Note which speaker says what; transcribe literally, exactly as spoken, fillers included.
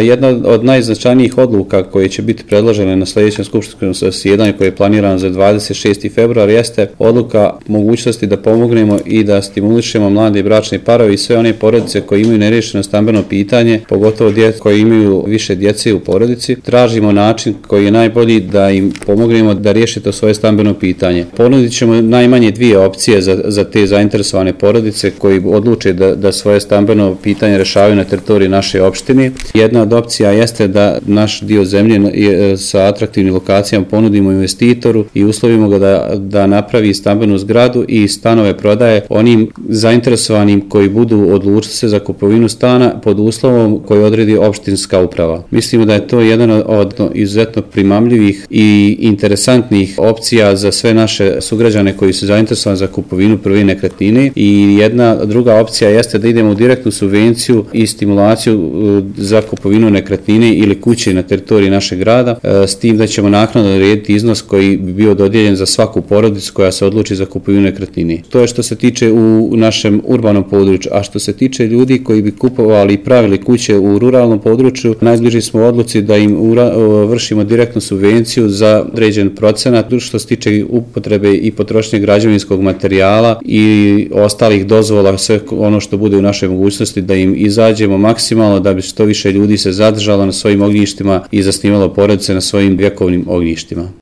Speaker 1: Jedna od najznačajnijih odluka koje će biti predložene na sljedećem skupštinskom zasjedanju koje je planirano za dvadeset šesti februar jeste odluka mogućnosti da pomognemo i da stimulišemo mlade bračne parove i sve one porodice koje imaju neriješeno stambeno pitanje, pogotovo djeca koji imaju više djece u porodici. Tražimo način koji je najbolji da im pomognemo da riješe to svoje stambeno pitanje. Ponudit ćemo najmanje dvije opcije za, za te zainteresovane porodice koji odluče da, da svoje stambeno pitanje rješavaju na teritoriji naše opštine. Jedna od opcija jeste da naš dio zemlje sa atraktivnim lokacijama ponudimo investitoru i uslovimo ga da, da napravi stambenu zgradu i stanove prodaje onim zainteresovanim koji budu odlučili se za kupovinu stana pod uslovom koji odredi opštinska uprava. Mislimo da je to jedan od izuzetno primamljivih i interesantnih opcija za sve naše sugrađane koji su zainteresovani za kupovinu prve nekretnine i jedna druga opcija jeste da idemo u direktnu subvenciju i stimulaciju za kupovinu nekretnine ili kuće na teritoriji našeg grada, s tim da ćemo naknadno odrediti iznos koji bi bio dodijeljen za svaku porodicu koja se odluči za kupovinu nekretnine. To je što se tiče u našem urbanom području, a što se tiče ljudi koji bi kupovali i pravili kuće u ruralnom području, najbliži smo odluci da im ura, vršimo direktnu subvenciju za određen procenat što se tiče upotrebe i potrošnje građevinskog materijala i ostalih dozvola, sve ono što bude u našoj mogućnosti da im izađemo maksimalno da bi što više ljudi se zadržalo na svojim ognjištima i zasnivalo porodice na svojim vjekovnim ognjištima.